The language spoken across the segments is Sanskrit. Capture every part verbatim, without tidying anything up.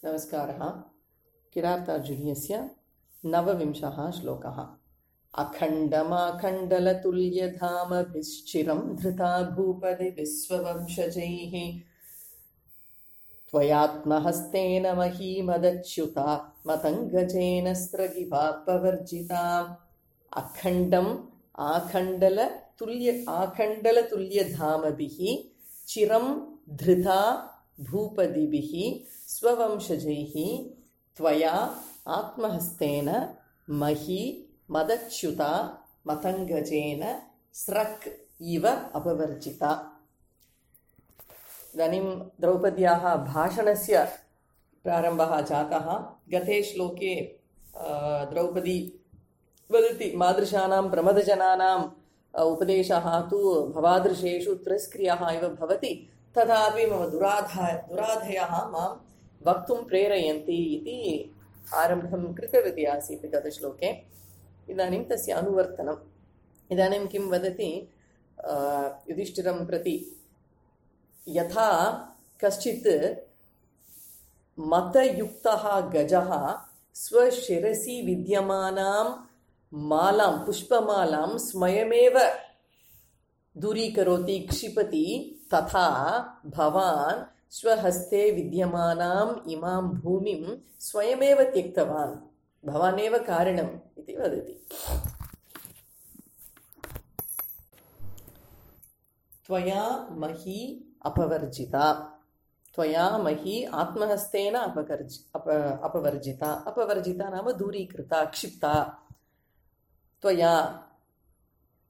नमस्कारः। किरातार्जुनीयस्य नवविंशः श्लोकः। अखण्डमाखण्डलतुल्यधामभिश्चिरं धृता भूपति विश्ववंशजैः त्वयात्महस्तेन महीमदच्युता मतङ्गजेन स्रगिवापवर्जिता। अखण्डम् आखण्डलतुल्य आखण्डलतुल्यधामभिः चिरं धृता भूपतिभिः स्ववंशजैः त्वया आत्महस्तेन मही मदच्युता मतङ्गजेन स्रक् इव अपवर्जिता। इदानीं द्रौपद्याः भाषणस्य प्रारम्भः जातः। गते श्लोके द्रौपदी वदति मादृशानां प्रमदजनानाम् उपदेशः तु भवादृशेषु तिरस्क्रियः इव भवति, तथापि मम दुराधाय दुराधयः मां वक्तुं प्रेरयन्ति इति आरम्भं कृतवती आसीत् गतश्लोके। इदानीं तस्य अनुवर्तनम्। इदानीं किं वदति युधिष्ठिरं प्रति, यथा कश्चित् मतयुक्तः गजः स्वशिरसि विद्यमानां मालां पुष्पमालां स्वयमेव दूरीकरोति, क्षिपति, तथा भवान् स्वहस्ते विद्यमानाम् इमां भूमिं स्वयमेव त्यक्तवान्, भवानेव कारणम् इति वदति। त्वया मही अपवर्जिता। त्वया मही आत्महस्तेन अपवर्जि अप अपवर्जिता। अपवर्जिता नाम दूरीकृता, क्षिप्ता। त्वया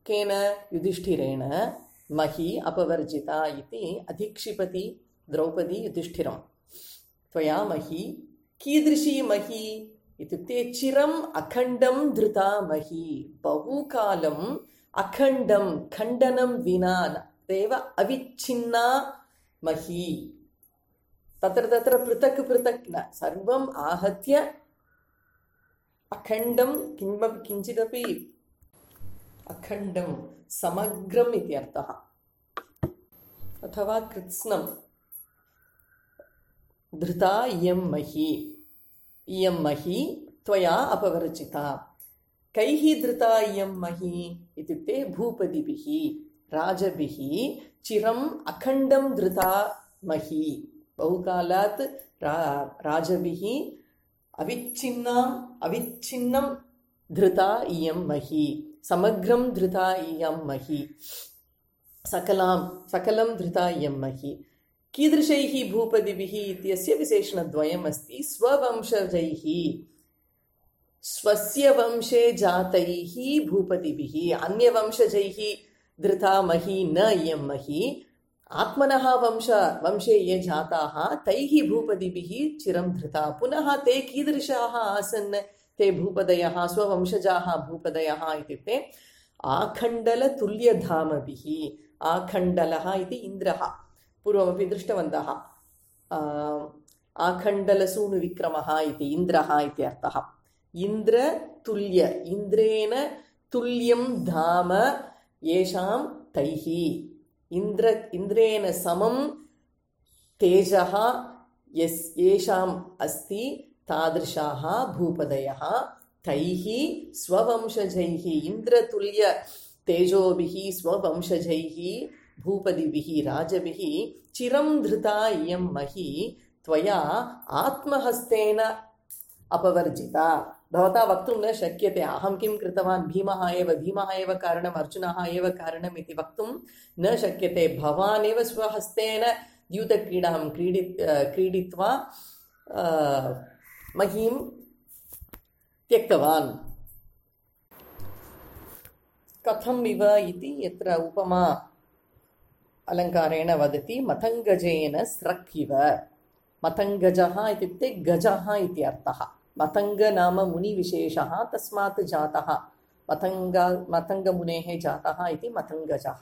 केन? युधिष्ठिरेण मही अपवर्जिता इति अधिक्षिपति द्रौपदी युधिष्ठिरं। त्वया मही, कीदृशी मही इत्युक्ते चिरम् अखण्डं धृता मही, बहुकालम् अखण्डं खण्डनं विना एव अविच्छिन्ना मही। तत्र तत्र पृथक् पृथक् न, सर्वम् आहत्य अखण्डं, किमपि किञ्चिदपि अखण्डं समग्रम् इति अर्थः, अथवा कृत्स्नं। धृता इयं मही, इयं मही त्वया अपवर्जिता। कैः धृता इयं मही इत्युक्ते भूपतिभिः, राजभिः चिरम् अखण्डं धृता मही, बहुकालात् रा राजभिः अविच्छिन्नाम् अविच्छिन्नं धृता इयं मही, समग्रं धृता इयं मही, सकलां सकलं धृता इयं मही। कीदृशैः भूपतिभिः इत्यस्य विशेषणद्वयम् अस्ति। स्ववंशजैः, स्वस्य वंशे जातैः भूपतिभिः, अन्यवंशजैः धृता मही न इयं मही। आत्मनः वंश वंशे ये जाताः तैः भूपतिभिः चिरं धृता। पुनः ते कीदृशाः आसन् ते भूपदयः, स्ववंशजाः भूपदयः इत्युक्ते आखण्डलतुल्यधामभिः। आखण्डलः इति इन्द्रः, पूर्वमपि दृष्टवन्तः। आखण्डलसूनुविक्रमः इति इन्द्रः इति अर्थः। इन्द्रतुल्य, इन्द्रेण तुल्यं धाम येषां तैः, इन्द्र इन्द्रेण समं तेजः यस् येषाम् अस्ति तादृशाः भूपदयः तैः स्ववंशजैः, इन्द्रतुल्य तेजोभिः स्ववंशजैः भूपतिभिः राजभिः चिरं धृता इयं मही त्वया आत्महस्तेन अपवर्जिता। भवता वक्तुं न शक्यते अहं किं कृतवान्, भीमः एव भीमः एव कारणम्, अर्जुनः एव कारणम् इति वक्तुं न शक्यते। भवान् एव स्वहस्तेन द्यूतक्रीडां क्रीडि क्रीडित्वा महीं त्यक्तवान्। कथम् इव इति यत्र उपमा अलङ्कारेण वदति, मतङ्गजेन स्रक् इव। मतङ्गजः इत्युक्ते गजः इति अर्थः। मतङ्ग नाम मुनिविशेषः, तस्मात् जातः मतङ्ग मतङ्गमुनेः जातः इति मतङ्गजः।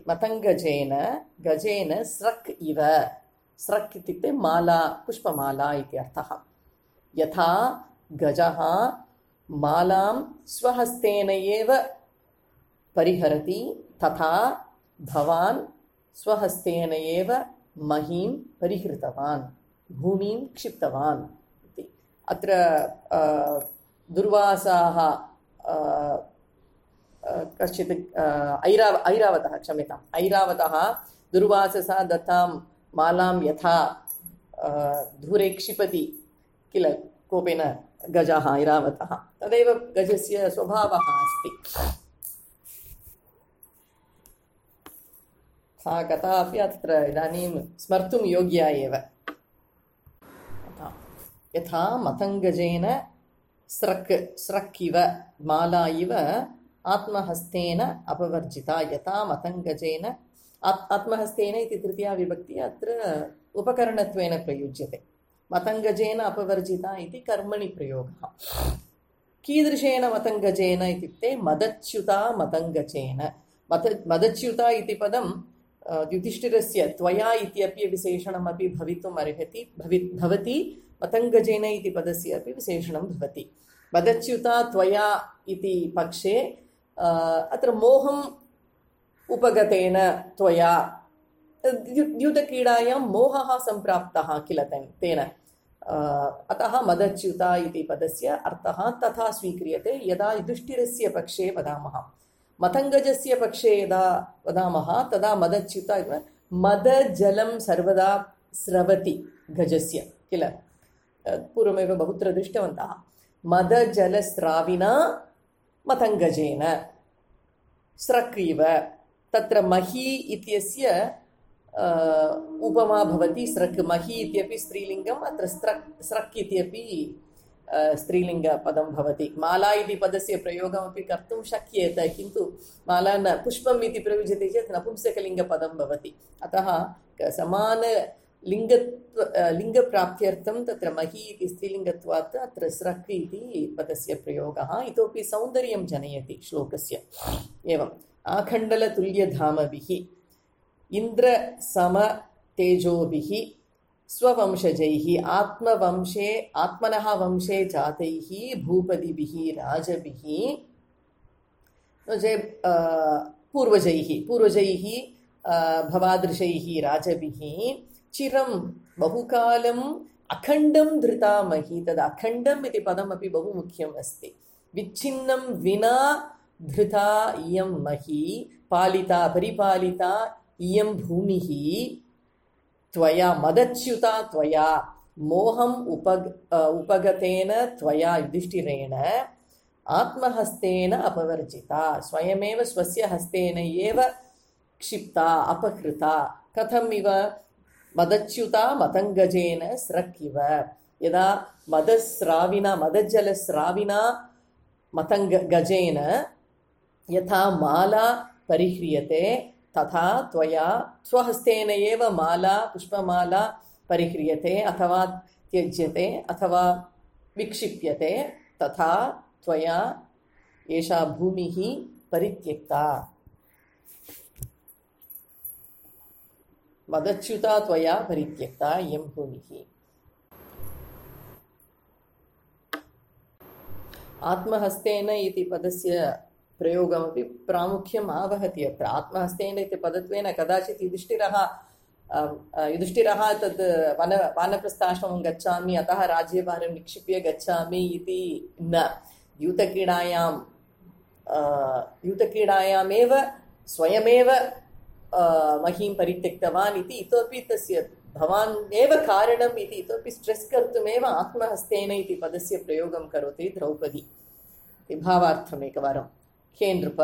मतङ्गजेन गजेन स्रक् इव। स्रक् इत्युक्ते माला, पुष्पमाला इति अर्थः। यथा गजः मालां स्वहस्तेन एव परिहरति, तथा भवान् स्वहस्तेन एव महीं परिहृतवान्। भूमिं क्षिप्तवान् इति। अत्र दुर्वासाः कश्चित् ऐराव ऐरावतः क्षम्यताम् ऐरावतः दुर्वाससा दत्तां मालां यथा दूरे क्षिपति किल कोपेन गजः ऐरावतः, तदेव गजस्य स्वभावः अस्ति। सा कथा अपि अत्र इदानीं स्मर्तुं योग्या एव। यथा मतङ्गजेन स्रक् स्रक् इव माला इव आत्महस्तेन अपवर्जिता। यथा मतङ्गजेन आत्महस्तेन इति तृतीया विभक्ति अत्र उपकरणत्वेन प्रयुज्यते। मतङ्गजेन अपवर्जिता इति कर्मणि प्रयोगः। कीदृशेन मतङ्गजेन इत्युक्ते मदच्युता मतङ्गजेन। मत मदच्युता इति पदं युधिष्ठिरस्य त्वया इत्यपि विशेषणमपि भवितुम् अर्हति भवि भवति मतङ्गजेन इति पदस्य अपि विशेषणं भवति। मदच्युता त्वया इति पक्षे अत्र मोहम् उपगतेन त्वया द्यूतक्रीडायां मोहः सम्प्राप्तः किल तेन, अतः मदच्युता इति पदस्य अर्थः तथा स्वीक्रियते यदा युधिष्ठिरस्य पक्षे वदामः। मतङ्गजस्य पक्षे यदा वदामः तदा मदच्युता मदजलं सर्वदा स्रवति गजस्य किल, पूर्वमेव बहुत्र दृष्टवन्तः। मदजलस्राविना मतङ्गजेन स्रक् इव, तत्र मही इत्यस्य उपमा भवति स्रक्। मही इत्यपि स्त्रीलिङ्गम्, अत्र स्रक् स्रक् इत्यपि स्त्रीलिङ्गपदं भवति। माला इति पदस्य प्रयोगमपि कर्तुं शक्येत, किन्तु माला न पुष्पम् इति प्रयुज्यते चेत् नपुंसकलिङ्गपदं भवति। अतः समान लिङ्ग लिङ्गप्राप्त्यर्थं तत्र मही इति स्त्रीलिङ्गत्वात् अत्र स्रक् इति पदस्य प्रयोगः इतोपि सौन्दर्यं जनयति श्लोकस्य। एवम् आखण्डलतुल्यधामभिः इन्द्रसमतेजोभिः स्ववंशजैः आत्मवंशे आत्मनः वंशे जातैः भूपतिभिः राजभिः पूर्वजैः पूर्वजैः भवादृशैः राजभिः चिरं बहुकालम् अखण्डं धृतामहि। तद् अखण्डम् इति पदमपि बहु मुख्यम् अस्ति। विच्छिन्नं विना धृता इयं मही, पालिता परिपालिता इयं भूमिः त्वया मदच्युता त्वया मोहम् उपग उपगतेन त्वया युधिष्ठिरेण आत्महस्तेन अपवर्जिता। स्वयमेव स्वस्य हस्तेन एव क्षिप्ता अपहृता। कथम् इव? मदच्युता मतङ्गजेन स्रक् इव। यदा मदस्राविना मदजलस्राविना मतङ्ग गजेन यथा माला परिह्रियते तथा त्वया स्वहस्तेन एव माला पुष्पमाला परिह्रियते अथवा त्यज्यते अथवा विक्षिप्यते, तथा त्वया एषा भूमिः परित्यक्ता। मदच्युता त्वया परित्यक्ता इयं भूमिः। आत्महस्तेन इति पदस्य प्रयोगमपि प्रामुख्यम् आवहति। अत्र आत्महस्तेन इति पदत्वेन कदाचित् युधिष्ठिरः युधिष्ठिरः तद् वन वानप्रस्थाश्रमं गच्छामि अतः राज्यभारं निक्षिप्य गच्छामि इति न। द्यूतक्रीडायां द्यूतक्रीडायामेव स्वयमेव महीं परित्यक्तवान् इति इतोपि तस्य भवान् एव कारणम् इति इतोपि स्ट्रेस् कर्तुमेव आत्महस्तेन इति पदस्य प्रयोगं करोति द्रौपदी। भावार्थम् एकवारं। हे नृप,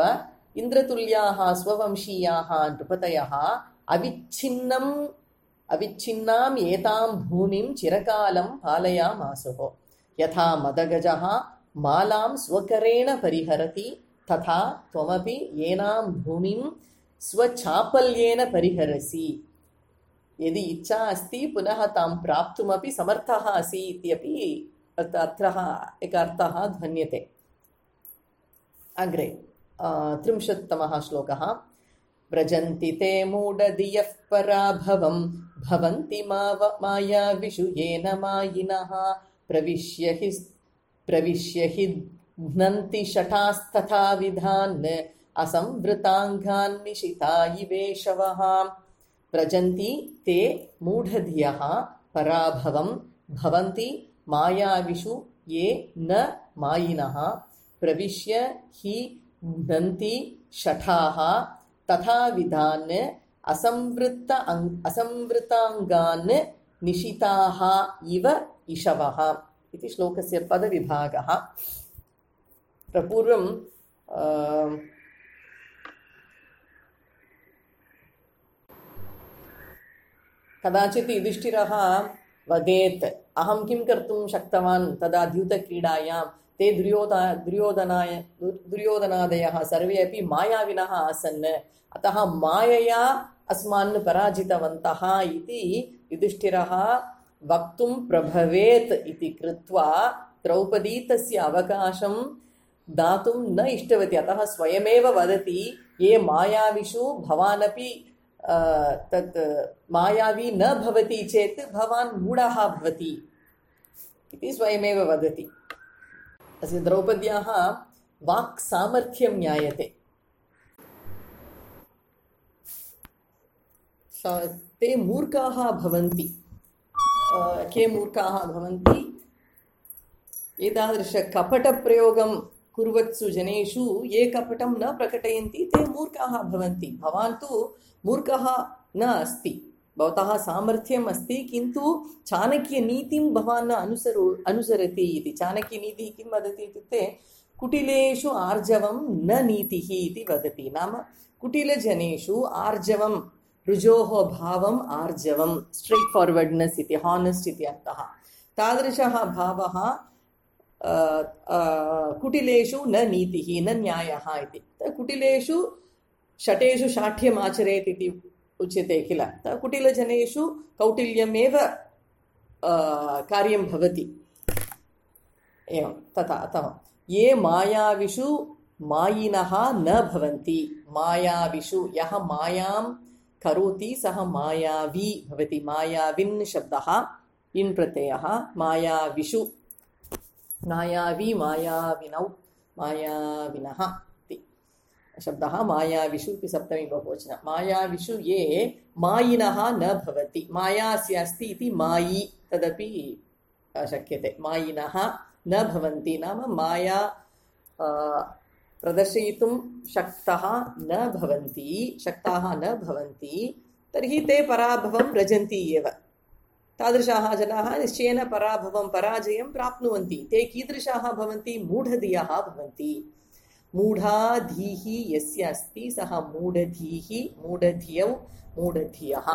इन्द्रतुल्याः स्ववंशीयाः नृपतयः अविच्छिन्नम् अविच्छिन्नाम् एतां भूमिं चिरकालं पालयामासुः। यथा मदगजः मालां स्वकरेण परिहरति तथा त्वमपि एनां भूमिं स्वचापल्येन परिहरसि। यदि इच्छा अस्ति पुनः तां प्राप्तुमपि समर्थः असि इत्यपि अर्थः एकः अर्थः ध्वन्यते। अग्रे त्रिंशत्तमः श्लोकः। व्रजन्ति ते मूढधियः पराभवं भवन्ति मायाविषु येन मायिनः प्रविश्य हि प्रविश्य हि घ्नन्ति शठास्तथा विधान् असंवृताङ्गान् निशिता इवेशवः। व्रजन्ति ते मूढधियः पराभवं भवन्ति मायाविषु ये न मायिनः प्रविश्य हि घ्नन्ति शठाः तथा विधान् असंवृत्त असंवृताङ्गान् निशिताः इव इषवः इति श्लोकस्य पदविभागः। पूर्वं कदाचित् युधिष्ठिरः वदेत् अहं किं कर्तुं शक्तवान् तदा द्यूतक्रीडायां ते दुर्योधना दुर्योधनाय दुर्योधनादयः सर्वे अपि मायाविनः आसन् अतः मायया अस्मान् पराजितवन्तः इति युधिष्ठिरः वक्तुं प्रभवेत् इति कृत्वा द्रौपदी तस्य अवकाशं दातुं न इष्टवती। अतः स्वयमेव वदति ये मायाविषु भवानपि तत् मायावी न भवति चेत् भवान् मूढः भवति इति स्वयमेव वदति। अस्य द्रौपद्याः वाक् सामर्थ्यं ज्ञायते। ते मूर्खाः भवन्ति। के मूर्खाः भवन्ति? एतादृश कपटप्रयोगं कुर्वत्सु जनेषु ये कपटं न प्रकटयन्ति ते मूर्खाः भवन्ति। भवान् तु मूर्खः न अस्ति, भवतः सामर्थ्यम् अस्ति, किन्तु चाणक्यनीतिं भवान् न अनुसरो अनुसरति इति। चाणक्यनीतिः किं वदति इत्युक्ते कुटिलेषु आर्जवं न नीतिः इति वदति। नाम कुटिलजनेषु आर्जवं ऋजोः भावम् आर्जवं स्ट्रेट् फार्वर्ड्नेस् इति, हानेस्ट् इति अर्थः। तादृशः भावः कुटिलेषु न नीतिः न न्यायः इति। कुटिलेषु षटेषु शाठ्यम् आचरेत् इति उच्यते किल। कुटिलजनेषु कौटिल्यमेव कार्यं भवति। एवं तथा अतः ये मायाविषु मायिनः न भवन्ति। मायाविषु यः मायां करोति सः मायावी भवति। मायाविन् शब्दः इन् प्रत्ययः। मायाविषु मायावी मायाविनौ मायाविनः इति शब्दः। मायाविषु इति सप्तमी बहुवचनं। मायाविषु ये मायिनः न भवति। मायास्य अस्ति इति मायी तदपि शक्यते। मायिनः न भवन्ति नाम माया प्रदर्शयितुं शक्तः न भवन्ति शक्ताः न भवन्ति तर्हि ते पराभवं व्रजन्ति एव। तादृशाः जनाः निश्चयेन पराभवं पराजयं प्राप्नुवन्ति। ते कीदृशाः भवन्ति? मूढधियः भवन्ति। मूढाधीः यस्य अस्ति सः मूढधीः मूढधियौ मूढधियः।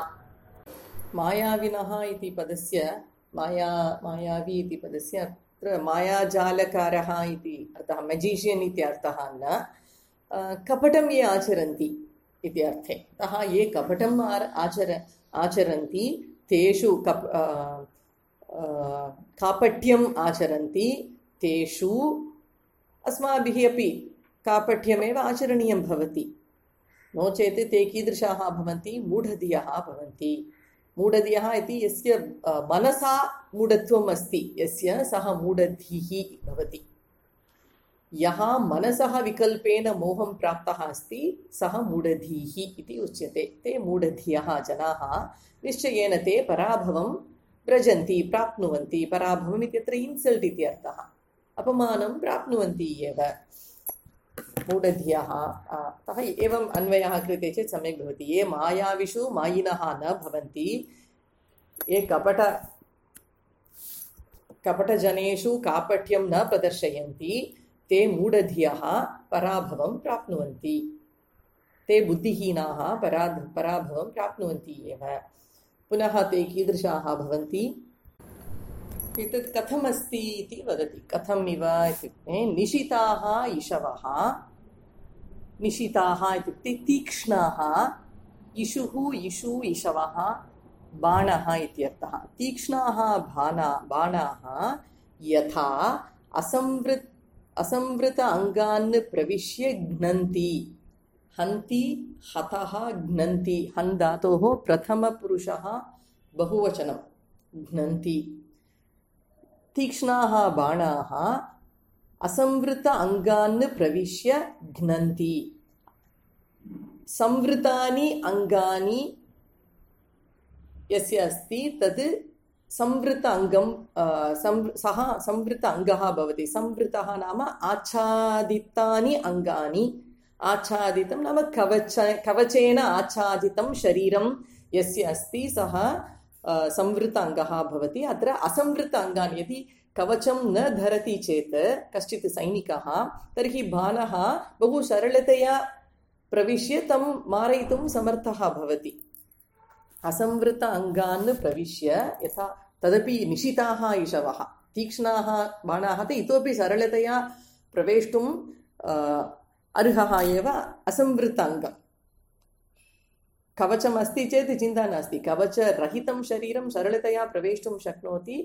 मायाविनः इति पदस्य माया मायावी इति पदस्य अत्र मायाजालकारः इति अर्थः, मेजिशियन् इति अर्थः न, कपटं ये आचरन्ति इति अर्थे। अतः ये कपटम् आचर आचरन्ति तेषु कप कापट्यम् आचरन्ति तेषु अस्माभिः अपि कापट्यमेव आचरणीयं भवति। नो चेत् ते कीदृशाः भवन्ति? मूढधियः भवन्ति। मूढधियः इति यस्य मनसा मूढत्वम् अस्ति यस्य सः मूढधिः भवति। यः मनसः विकल्पेन मोहं प्राप्तः अस्ति सः मूढधिः इति उच्यते। ते मूढधियः जनाः निश्चयेन ते पराभवं व्रजन्ति प्राप्नुवन्ति। पराभवम् इत्यत्र इन्सल्ट् इति अर्थः, अपमानं प्राप्नुवन्ति एव मूढधियः। अतः एवम् अन्वयः क्रियते चेत् सम्यक् भवति। ये मायाविषु मायिनः न भवन्ति, ये कपट कपटजनेषु कापट्यं न प्रदर्शयन्ति ते मूढधियः पराभवं प्राप्नुवन्ति। ते बुद्धिहीनाः परा पराभवं प्राप्नुवन्ति एव। पुनः ते कीदृशाः भवन्ति? एतत् कथमस्ति इति वदति। कथम् इव इत्युक्ते निशिताः इषवः। निशिताः इत्युक्ते तीक्ष्णाः। इषुः इषु इषवः बाणः इत्यर्थः। तीक्ष्णाः बाणा बाणाः यथा असंवृत् असंवृत अङ्गान् प्रविश्य घ्नन्ति। हन्ति हतः घ्नन्ति। हन् धातोः प्रथमपुरुषः बहुवचनं घ्नन्ति। तीक्ष्णाः बाणाः असंवृत अङ्गान् प्रविश्य घ्नन्ति। संवृतानि अङ्गानि यस्य अस्ति तद् संवृत अङ्गं सः संवृत अङ्गः भवति। संवृतः नाम आच्छादितानि अङ्गानि। आच्छादितं नाम कवच कवचेन आच्छादितं शरीरं यस्य अस्ति सः संवृत अङ्गः भवति। अत्र असंवृत अङ्गानि, यदि कवचं न धरति चेत् कश्चित् सैनिकः, तर्हि बाणः बहु सरलतया प्रविश्य तं मारयितुं समर्थः भवति। असंवृत अङ्गान् प्रविश्य, यथा तदपि निशिताः इषवः, तीक्ष्णाः बाणाः ते इतोपि सरलतया प्रवेष्टुम् अर्हः एव असंवृत अङ्गम्। कवचमस्ति चेत् चिन्ता नास्ति, कवचरहितं शरीरं सरलतया प्रवेष्टुं शक्नोति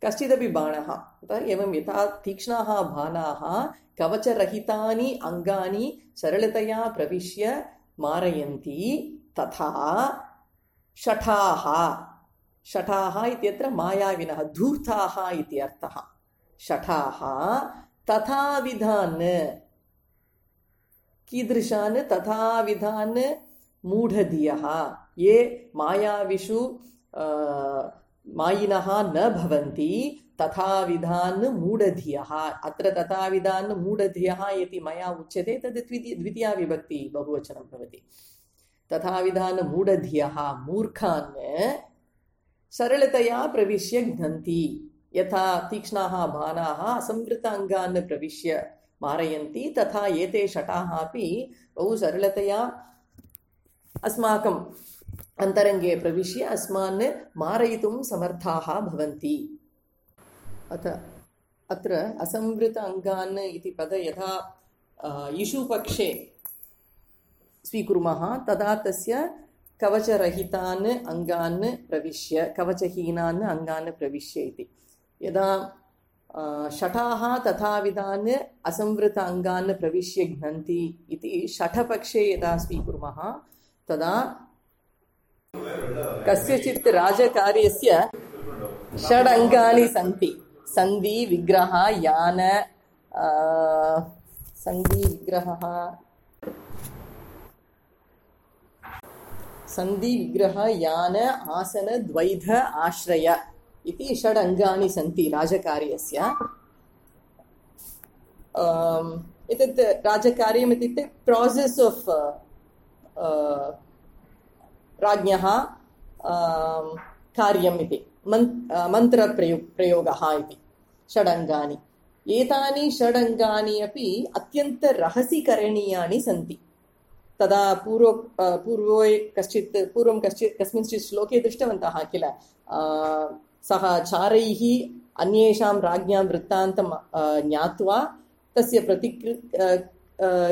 कश्चिदपि बाणः। एवं यथा तीक्ष्णाः बाणाः कवचरहितानि अङ्गानि सरलतया प्रविश्य मारयन्ति, तथा शठाः, शठाः इत्यत्र मायाविनः, धूर्ताः इति अर्थः। शठाः तथाविधान्, कीदृशान्? तथाविधान् मूढधियः, ये मायाविषु मायिनः न भवन्ति, तथाविधान् मूढधियः। अत्र तथाविधान् मूढधियः इति मया उच्यते, तद् द्वितीया विभक्ति बहुवचनं भवति। तथाविधान् मूढधियः, मूर्खान् सरलतया प्रविश्य घ्नन्ति। यथा तीक्ष्णाः बाणाः असंवृत अङ्गान् प्रविश्य मारयन्ति, तथा एते शटाः अपि बहु सरलतया अस्माकम् अन्तरङ्गे प्रविश्य अस्मान् मारयितुं समर्थाः भवन्ति। अथ अत्र असंवृत अङ्गान् इति पद यथा इषुपक्षे स्वीकुर्मः, तदा तस्य कवचरहितान् अङ्गान् प्रविश्य, कवचहीनान् अङ्गान् प्रविश्य इति। यदा शठाः तथाविधान् असंवृत अङ्गान् प्रविश्य घ्नन्ति इति शठपक्षे यदा स्वीकुर्मः, तदा कस्यचित् राजकार्यस्य षड् अङ्गानि सन्ति। सन्धि, विग्रह, यान, सन्धि विग्रहः सन्धि विग्रह यान आसन द्वैध आश्रय इति षड् अङ्गानि सन्ति राजकार्यस्य। एतत् राजकार्यम् इत्युक्ते प्रासेस् आफ् राज्ञः कार्यम् इति, मन्त्रप्रयो प्रयोगः इति षडङ्गानि। एतानि षडङ्गानि अपि अत्यन्तरहसि करणीयानि सन्ति। तदा पूर्व पूर्वे कश्चित् पूर्वं कश्चित् कस्मिंश्चित् श्लोके दृष्टवन्तः किल, सः चारैः अन्येषां राज्ञां वृत्तान्तं ज्ञात्वा तस्य प्रतिक्रि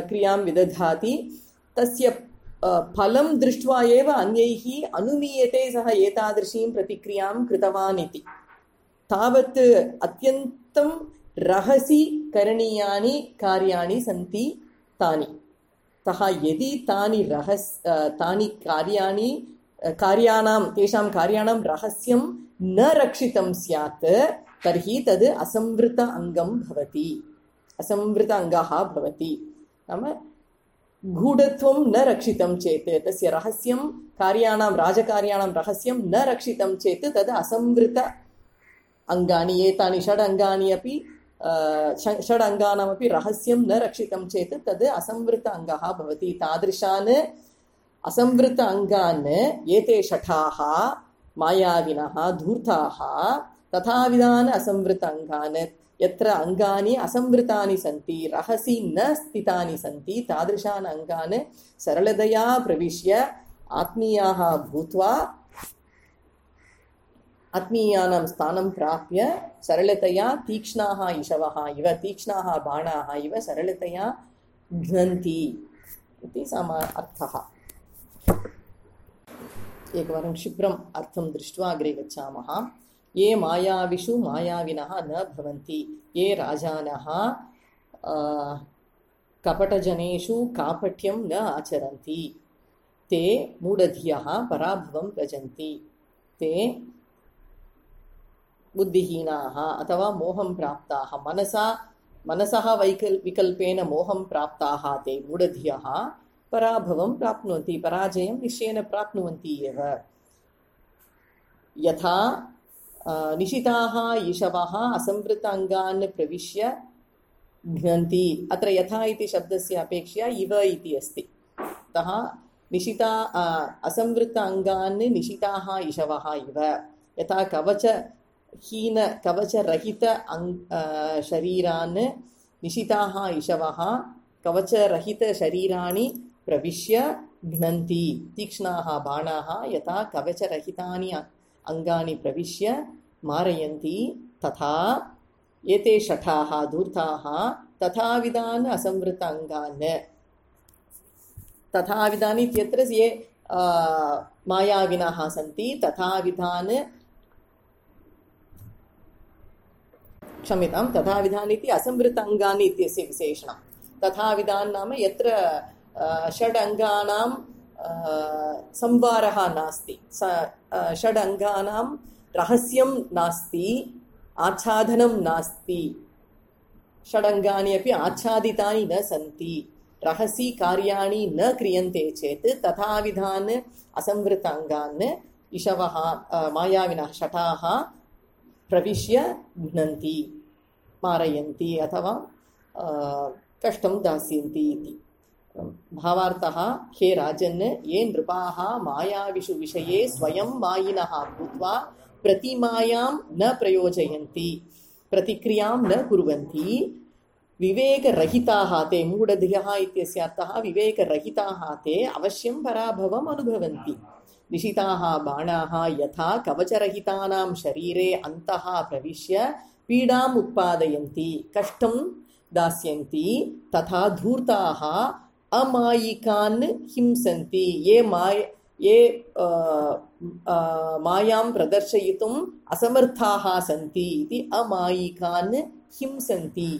क्रियां विदधाति, तस्य फलं दृष्ट्वा एव अन्यैः अनुमीयते सः एतादृशीं प्रतिक्रियां कृतवान् इति। तावत् अत्यन्तं रहसि करणीयानि कार्याणि सन्ति तानि। अतः यदि तानि रहस् तानि कार्याणि कार्याणां तेषां कार्याणां रहस्यं न रक्षितं स्यात्, तर्हि तद् असंवृत अङ्गं भवति, असंवृत अङ्गः भवति। नाम गूढत्वं न रक्षितं चेत्, तस्य रहस्यं कार्याणां राजकार्याणां रहस्यं न रक्षितं चेत् तद् असंवृत अङ्गानि। एतानि षड् अङ्गानि अपि षड् अङ्गानामपि रहस्यं न रक्षितं चेत् तद् असंवृत अङ्गः भवति। तादृशान् असंवृत अङ्गान् एते शठाः मायाविनः धूर्ताः तथाविधान् असंवृत अङ्गान्, यत्र अङ्गानि असंवृतानि सन्ति, रहसि न स्थितानि सन्ति, तादृशान् अङ्गान् सरलतया प्रविश्य आत्मीयाः भूत्वा आत्मीयानां स्थानं प्राप्य सरलतया तीक्ष्णाः इषवः इव, तीक्ष्णाः बाणाः इव सरलतया घ्नन्ति इति सम अर्थः। एकवारं क्षिप्रम् अर्थं दृष्ट्वा अग्रे गच्छामः। ये मायाविषु मायाविनः न भवन्ति, ये राजानः कपटजनेषु कापट्यं न आचरन्ति, ते मूढधियः पराभवं भजन्ति, ते बुद्धिहीनाः अथवा मोहं प्राप्ताः, मनसा मनसः वैकल् विकल्पेन मोहं प्राप्ताः ते मूढधियः पराभवं प्राप्नुवन्ति, पराजयं निश्चयेन प्राप्नुवन्ति एव। यथा निशिताः ईशवः असंवृताङ्गान् प्रविश्य घ्नन्ति। अत्र यथा इति शब्दस्य अपेक्षया इव इति अस्ति। अतः निशिता असंवृत अङ्गान् निशिताः ईशवः इव, यथा कवचहीन कवचरहित अङ् शरीरान् निशिताः ईशवः कवचरहितशरीराणि प्रविश्य घ्नन्ति। तीक्ष्णाः बाणाः यथा कवचरहितानि अङ्गानि प्रविश्य मारयन्ति, तथा एते शठाः धूर्ताः तथाविधान् असंवृत अङ्गान्। तथाविधानि इत्यत्र ये मायाविनः सन्ति तथाविधान्, क्षम्यतां, तथाविधान् इति असंवृत अङ्गानि इत्यस्य विशेषणं। तथाविधान् नाम यत्र षड् अङ्गानां संवारः नास्ति, षड् अङ्गानां रहस्यं नास्ति, आच्छादनं नास्ति। षडङ्गानि अपि आच्छादितानि न सन्ति, रहसि कार्याणि न क्रियन्ते चेत् तथाविधान् असंवृत अङ्गान् ईशवः मायाविनः शठाः प्रविश्य घ्नन्ति, मारयन्ति अथवा कष्टं दास्यन्ति इति। भावार्थः, हे राजन्, ये नृपाः मायाविषु विषये स्वयं मायिनः भूत्वा प्रतिमायां न प्रयोजयन्ति, प्रतिक्रियां न कुर्वन्ति, विवेकरहिताः ते, मूढधियः इत्यस्य अर्थः विवेकरहिताः ते अवश्यं पराभवम् अनुभवन्ति। निशिताः बाणाः यथा कवचरहितानां शरीरे अन्तः प्रविश्य पीडाम् उत्पादयन्ति, कष्टं दास्यन्ति, तथा धूर्ताः अमायिकान् हिंसन्ति, ये माय ये आ, आ, मायां प्रदर्शयितुम् असमर्थाः सन्ति इति अमायिकान् हिंसन्ति।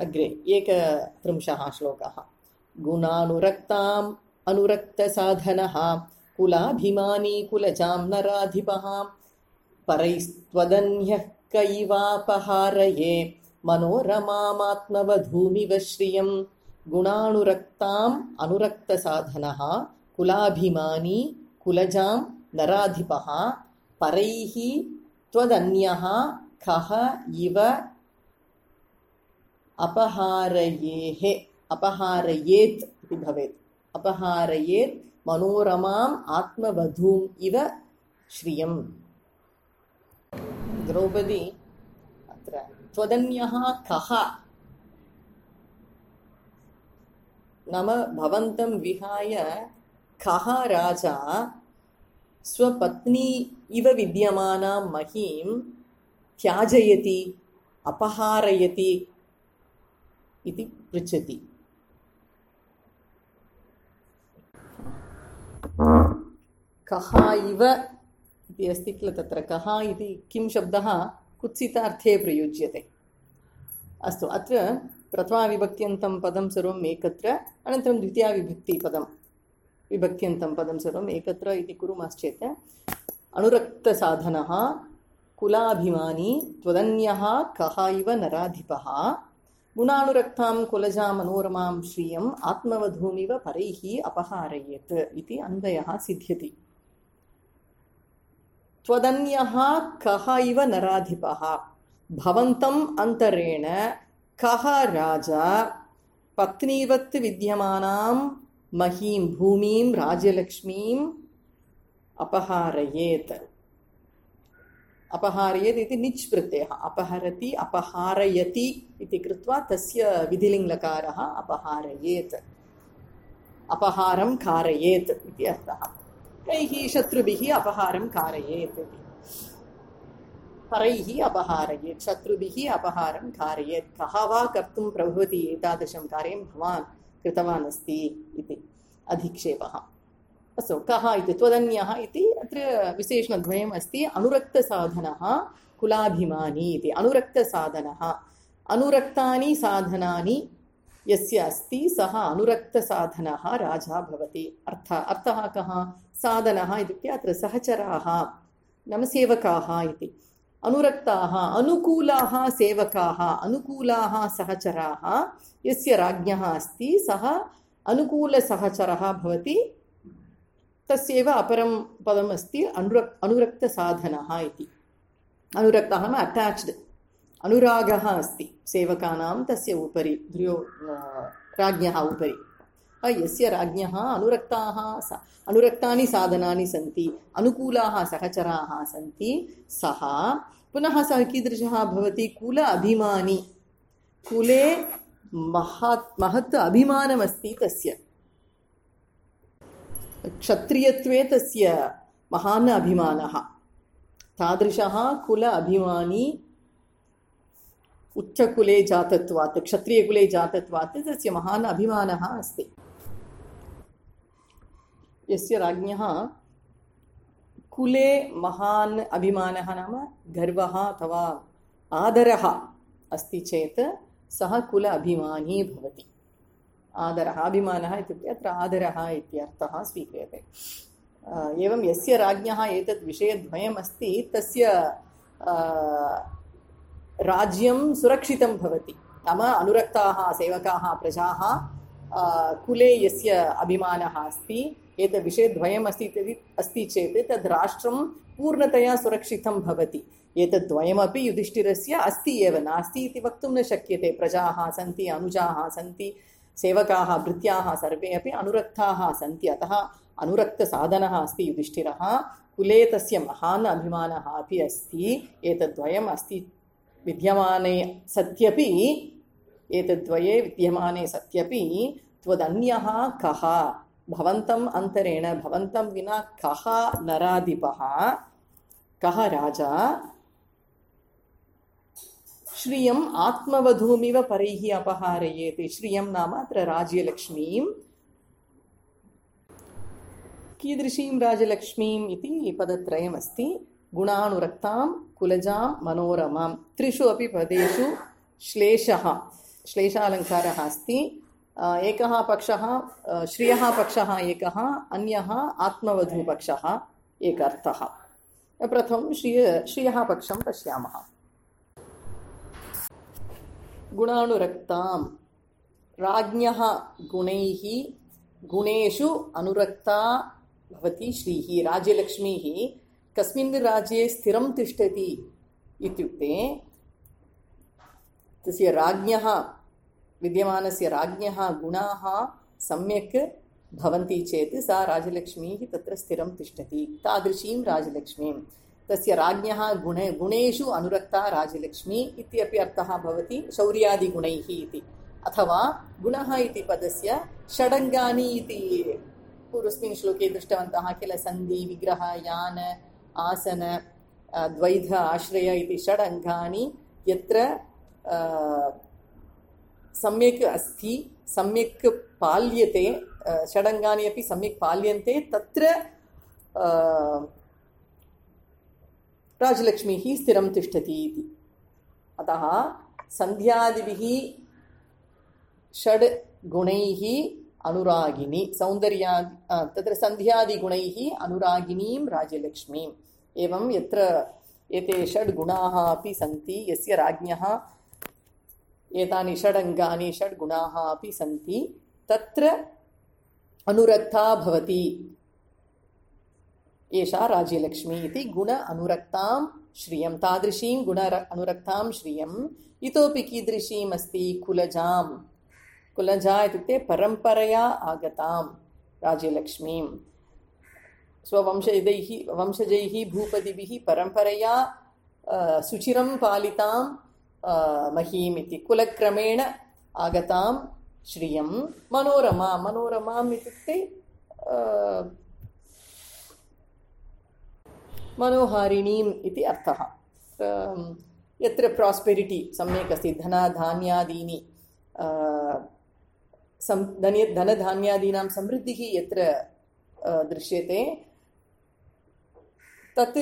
अग्रे एकत्रिंशः श्लोकः। गुणानुरक्ताम् अनुरक्तसाधनः कुलाभिमानी कुलजां नराधिपः परैस्त्वदन्यः कैवापहारये मनोरमामात्मवधूमिव श्रियम्। गुणानुरक्ताम् अनुरक्तसाधनः कुलाभिमानी कुलजां नराधिपः परैः त्वदन्यः कः इव अपहारयेः, अपहारयेत् इति भवेत्, अपहारयेत् मनोरमाम् आत्मवधूम् इव श्रियम्। द्रौपदी अत्र त्वदन्यः कः नाम भवन्तं विहाय कः राजा स्वपत्नी इव विद्यमानां महीं त्याजयति, अपहारयति इति पृच्छति। कः इव इति अस्ति किल, तत्र कः इति किं शब्दः कुत्सितार्थे प्रयुज्यते। अस्तु, अत्र प्रथमाविभक्त्यन्तं पदं सर्वम् एकत्र, अनन्तरं द्वितीयाविभक्तिपदं विभक्त्यन्तं पदं सर्वम् एकत्र इति कुर्मश्चेत् अनुरक्तसाधनः कुलाभिमानी त्वदन्यः कः इव नराधिपः गुणानुरक्तां कुलजां मनोरमां श्रियम् आत्मवधूमिव परैः अपहारयेत् इति अन्वयः सिद्ध्यति। त्वदन्यः कः इव नराधिपः, भवन्तम् अन्तरेण कः राजा पत्नीवत् विद्यमानां महीं भूमिं राज्यलक्ष्मीम् अपहारयेत्। अपहारयेत् इति निच् प्रत्ययः, अपहरति अपहारयति इति कृत्वा तस्य विधिलिङ्गकारः अपहारयेत्, अपहारं कारयेत् इति अर्थः। कैः शत्रुभिः अपहारं कारयेत् इति, परैः अपहारयेत्, शत्रुभिः अपहारं कारयेत्। कः वा कर्तुं प्रभवति एतादृशं कार्यं, भवान् कृतवान् अस्ति इति अधिक्षेपः। अस्तु, कः इति त्वदन्यः इति अत्र विशेषणद्वयम् अस्ति। अनुरक्तसाधनः कुलाभिमानी इति। अनुरक्तसाधनः, अनुरक्तानि साधनानि यस्य अस्ति सः अनुरक्तसाधनः राजा भवति। अर्थ अर्थः कः? साधनः इत्युक्ते अत्र सहचराः नाम सेवकाः इति। अनुरक्ताः अनुकूलाः सेवकाः, अनुकूलाः सहचराः यस्य राज्ञः अस्ति सः अनुकूलसहचरः भवति तस्यैव अपरं पदमस्ति अनुरक् अनुरक्तसाधनः इति। अनुरक्तः नाम अटाच्ड्, अनुरागः अस्ति सेवकानां तस्य उपरि, दुर्यो राज्ञः उपरि। यस्य राज्ञः अनुरक्ताः अनुरक्तानि साधनानि सन्ति, अनुकूलाः सहचराः सन्ति, सः पुनः सः कीदृशः भवति? कुल अभिमानी। कुले महत् महत् अभिमानमस्ति तस्य, क्षत्रियत्वे तस्य महान् अभिमानः। तादृशः कुल अभिमानी उच्चकुले जातत्वात्, क्षत्रियकुले जातत्वात् तस्य महान् अभिमानः अस्ति। यस्य राज्ञः कुले महान् अभिमानः नाम गर्वः अथवा आदरः अस्ति चेत् सः कुल अभिमानी भवति। आदरः, अभिमानः इत्युक्ते अत्र आदरः इत्यर्थः स्वीक्रियते। एवं यस्य राज्ञः एतत् विषयद्वयम् अस्ति तस्य राज्यं सुरक्षितं भवति। नाम अनुरक्ताः सेवकाः प्रजाः कुले यस्य अभिमानः अस्ति, एतद् विषयद्वयम् अस्ति अस्ति चेत् तद् राष्ट्रं पूर्णतया सुरक्षितं भवति। एतद्द्वयमपि युधिष्ठिरस्य अस्ति एव, नास्ति इति वक्तुं न शक्यते। प्रजाः सन्ति, अनुजाः सन्ति, सेवकाः भृत्याः सर्वे अपि अनुरक्ताः सन्ति। अतः अनुरक्तसाधनः अस्ति युधिष्ठिरः। कुले तस्य महान् अभिमानः अपि अस्ति। एतद्द्वयम् अस्ति विद्यमाने सत्यपि, एतद्द्वये विद्यमाने सत्यपि त्वदन्यः कः? भवन्तम् अन्तरेण, भवन्तं विना कः नराधिपः, कः राजा? श्रियम् आत्मवधूमिव परैः अपहारयेत्। श्रियं नाम अत्र राज्यलक्ष्मीं। कीदृशीं राजलक्ष्मीम् इति पदत्रयमस्ति। गुणानुरक्तां, कुलजां, मनोरमां। त्रिषु अपि पदेषु श्लेषः, श्लेषालङ्कारः अस्ति। एकः पक्षः श्रियः पक्षः एकः, अन्यः आत्मवधूपक्षः एक अर्थः। प्रथमं श्रिय श्रियः पक्षं पश्यामः। गुणानुरक्तां, राज्ञः गुणैः गुणेषु अनुरक्ता भवति श्रीः। राज्यलक्ष्मीः कस्मिन् राज्ये स्थिरं तिष्ठति इत्युक्ते तस्य राज्ञः, विद्यमानस्य राज्ञः गुणाः सम्यक् भवन्ति चेत् सा राजलक्ष्मीः तत्र स्थिरं तिष्ठति। तादृशीं राजलक्ष्मीं, तस्य राज्ञः गुण गुणेषु अनुरक्ता राजलक्ष्मी इत्यपि अर्थः भवति शौर्यादिगुणैः इति। अथवा गुणः इति पदस्य षडङ्गानि इति पूर्वस्मिन् श्लोके दृष्टवन्तः किल। सन्धि, विग्रह, यान, आसन, द्वैध, आश्रय इति षडङ्गानि यत्र सम्यक् अस्ति, सम्यक् पाल्यते, षडङ्गानि अपि सम्यक् पाल्यन्ते, तत्र राजलक्ष्मीः स्थिरं तिष्ठति इति। अतः सन्ध्यादिभिः षड् गुणैः अनुरागिणी, सौन्दर्या तत्र सन्ध्यादिगुणैः अनुरागिणीं राजलक्ष्मीम्। एवं यत्र एते षड् गुणाः अपि सन्ति, यस्य राज्ञः एतानि षडङ्गानि षड् गुणाः अपि सन्ति, तत्र अनुरक्ता भवति एषा राज्यलक्ष्मी इति। गुण अनुरक्तां श्रियं, तादृशीं गुण अनुरक्तां श्रियम्। इतोपि कीदृशीम् अस्ति? कुलजां। कुलजा इत्युक्ते परम्परया आगतां राज्यलक्ष्मीं, स्ववंशजैः वंशजैः भूपतिभिः परम्परया सुचिरं पालितां महीम् इति। कुलक्रमेण आगतां श्रियं। मनोरमा, मनोरमाम् इत्युक्ते मनोहारिणीम् इति अर्थः। यत्र प्रास्पेरिटी सम्यक् अस्ति, धनधान्यादीनि सं धन धनधान्यादीनां समृद्धिः यत्र दृश्यते तत्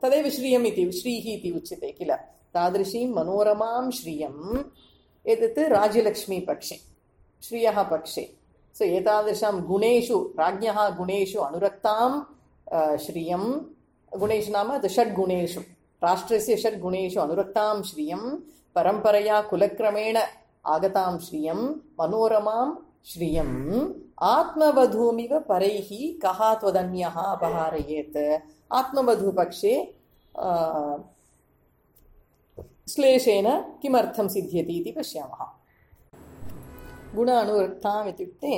तदेव श्रियम् इति, श्रीः इति उच्यते किल। तादृशीं मनोरमां श्रियम् एतत् राज्यलक्ष्मीपक्षे, श्रियः पक्षे। सो एतादृशां गुणेषु, राज्ञः गुणेषु अनुरक्तां श्रियं, गुणेषु नाम षड्गुणेषु, राष्ट्रस्य षड्गुणेषु अनुरक्तां श्रियं, परम्परया कुलक्रमेण आगतां श्रियं, मनोरमां श्रियम् आत्मवधूमिव परैः कः त्वदन्यः अपहारयेत्. आत्मवधूपक्षे श्लेषेण किमर्थं सिद्ध्यति इति पश्यामः. गुण अनुरक्ताम् इत्युक्ते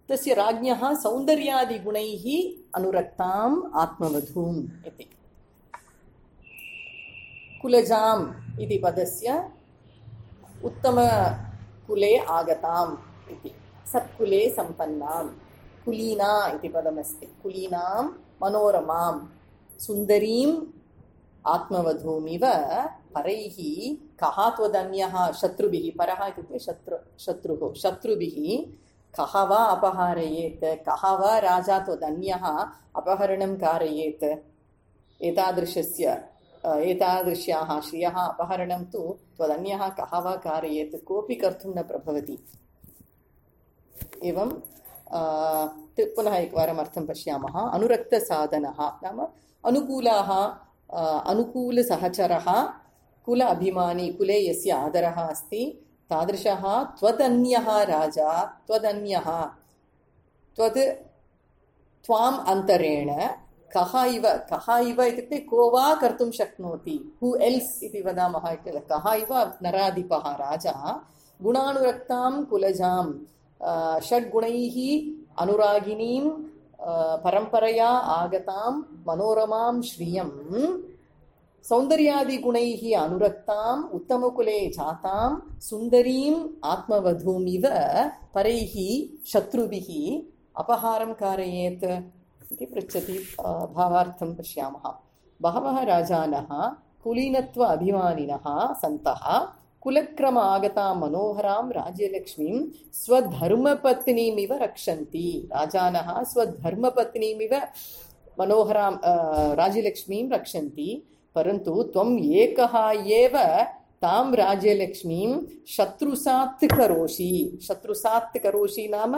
तस्य राज्ञः सौन्दर्यादिगुणैः अनुरक्ताम् आत्मवधूम् इति. कुलजाम् इति पदस्य उत्तमकुले आगताम् इति. सत्कुले सम्पन्नाम्. कुलीना इति पदमस्ति. कुलीनां मनोरमां सुन्दरीम् आत्मवधूमिव परैः कः त्वदन्यः शत्रुभिः. परः इत्युक्ते शत्रु शत्रुः. शत्रुभिः कः वा अपहारयेत्. कः वा राजा त्वदन्यः अपहरणं कारयेत्. एतादृशस्य एतादृश्याः श्रियः अपहरणं तु त्वदन्यः कः वा कारयेत्. कोऽपि कर्तुं न प्रभवति. एवं पुनः एकवारम् अर्थं पश्यामः. अनुरक्तसाधनः नाम अनुकूलाः अनुकूलसहचरः कुल अभिमानी. कुले यस्य आदरः अस्ति तादृशः त्वदन्यः राजा. त्वदन्यः त्वद् त्वाम् अन्तरेण कः इव. कः इव इत्युक्ते को वा कर्तुं शक्नोति. हू एल्स् इति वदामः किल. कः इव नराधिपः राजा गुणानुरक्तां कुलजां षड्गुणैः अनुरागिणीं परम्परया आगतां मनोरमां श्रियं सौन्दर्यादिगुणैः अनुरक्ताम् उत्तमकुले जातां सुन्दरीम् आत्मवधूमिव परैः शत्रुभिः अपहारं कारयेत् इति पृच्छति. भावार्थं पश्यामः. बहवः राजानः कुलीनत्व अभिमानिनः सन्तः कुलक्रम आगतां मनोहरां राज्यलक्ष्मीं स्वधर्मपत्नीमिव रक्षन्ति. राजानः स्वधर्मपत्नीमिव मनोहरां राज्यलक्ष्मीं रक्षन्ति. परन्तु त्वम् एकः एव तां राज्यलक्ष्मीं शत्रुसात् करोषि. शत्रुसात् करोषि नाम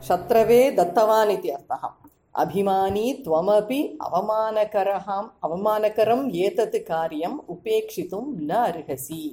शत्रवे दत्तवान् इति अर्थः. अभिमानी त्वमपि अवमानकरम् अवमानकरम् एतत् कार्यम् उपेक्षितुं न अर्हसि.